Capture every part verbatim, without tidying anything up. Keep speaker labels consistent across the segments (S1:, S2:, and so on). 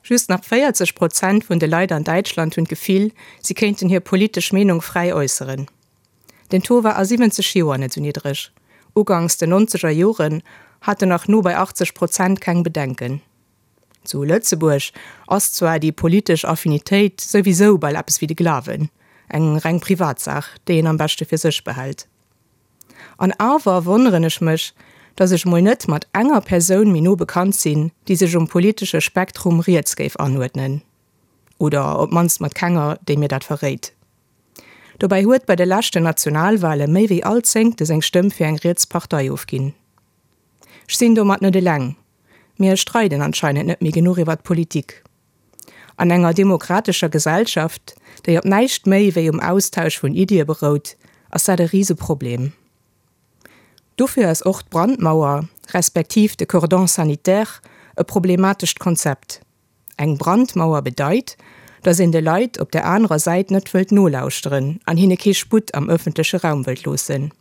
S1: Just nach véierzeg Prozent vun de Leit an Däitschland hunn d'Gefill, si kéinten hir politesch Meenung fräi äusseren. Den Taux war a siwwenzeg Joer net sou niddreg. Uganks den nonzeger Joren haten nach no bei achtzeg Prozent keng Bedenken. Zu Lëtzebuerg ass zwar déi politesch Affinitéit souwisou bal eppes wéi de Glawen, eng reng Privatsaach, déi een am beschte fir sech behält. An awer wonneren ech mech, dass ech mol net mat enger Persoun méi no bekannt sinn, déi sech um politesche Spektrum riets géif anuerdnen. Oder op d'mannst mat kenger, déi mir dat verréit. Dobäi huet bei de leschten Nationalwale méi wéi all Zéngte seng Stëmm fir eng riets Partei ofginn. Ech sinn domat net eleng. Mir streiden anscheinend net méi genuch iwwert Politik. An enger demokratescher Gesellschaft, déi op näischt méi wéi um Austausch vun Iddie berout, ass dat e Riseproblem. Dofir ass och d'Brandmauer, respektiv de Cordon sanitaire e problematescht Konzept. Eng Brandmauer bedeit, datt een de Leit op der anerer Säit net wëllt nolauschteren an hinne kee Sputt am ëffentleche Raum wëllt loossen.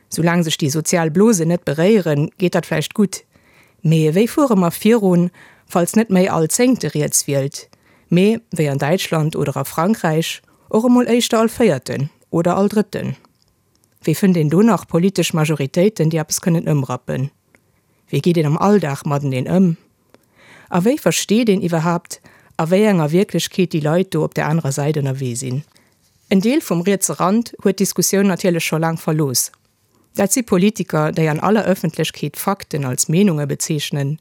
S1: Soulaang sech déi sozial Blosen net beréieren, geet dat vläicht gutt. Mee wéi fuere mer virun, falls net méi all Zéngte riets wielt, mee, wéi an Däitschland oder a Frankräich, och emol éischter all Véierten oder all Drëtten? Wéi fënnt een do nach politesch Majoritéiten, déi eppes kënnen ëmrappen? Wéi geet een am Alldag mateneen ëm? A wéi versteet een iwwerhaapt, a wéi enger Wierklechkeet déi Leit do op där anerer Säit ënnerwee sinn? En Deel vum rietse Rand huet d'Diskussioun natierlech scho laang verlooss. Dat si Politiker, déi an aller Ëffentlechkeet Fakten als Meenunge bezeechnen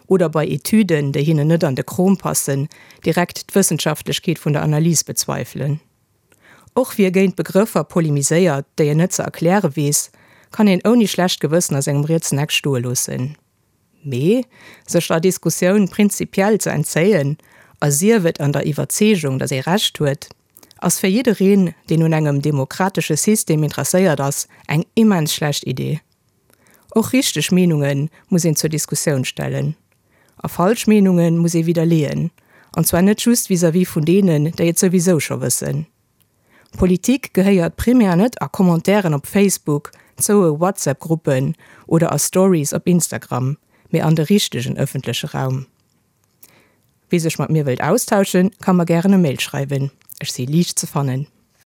S1: oder bei Etüden, déi hinnen net an de Krom passen, direkt d'Wëssenschaftlechkeet vun der Analys bezweifelen. Och wie géint Begrëffer polemiséiert, déi en net ze erkläre weess, kann een ouni schlecht Gewëssen a sengem rietsen Eck stoe loossen. Mee sech der Diskussioun prinzipiell ze entzéien, a sief et an der Iwwerzeegung, datt ee Recht huet, ass fir jiddereen, deen un engem demokratesche System interesséiert ass, eng immens schlecht Idee. Och richteg Meenunge muss een zur Diskussioun stellen. A falsch Meenunge muss ee widderleeën, an zwar net just vis-à-vis vun deenen, déi et souwisou scho wëssen. Politik gehéiert primär net a Commentairen op Facebook, zoue WhatsApp-Gruppen oder a Stories op Instagram, mee an de richtegen ëffentleche Raum. Wie sech mat mir wëllt austauschen, ka mer gären e Mail schreiwen. Ech si liicht ze fannen.